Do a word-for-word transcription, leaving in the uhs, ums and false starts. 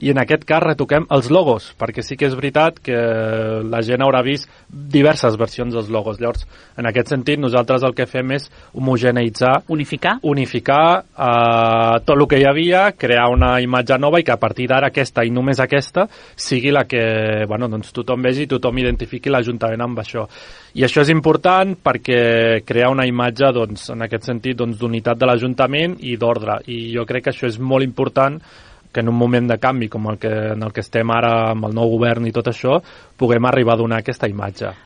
I en aquest cas retoquem els logos, perquè sí que és veritat que la gent haurà vist diverses versions dels logos. Llavors, en aquest sentit, nosaltres el que fem és homogeneïtzar, unificar, unificar eh, tot el que hi havia, crear una imatge nova i que a partir d'ara aquesta i només aquesta sigui la que bueno, doncs tothom vegi i tothom identifiqui l'Ajuntament amb això. I això és important perquè crea una imatge, doncs, en aquest sentit, doncs, d'unitat de l'Ajuntament i d'ordre. I jo crec que això és molt important que en un moment de canvi com el que, en el que estem ara amb el nou govern i tot això, puguem arribar a donar aquesta imatge.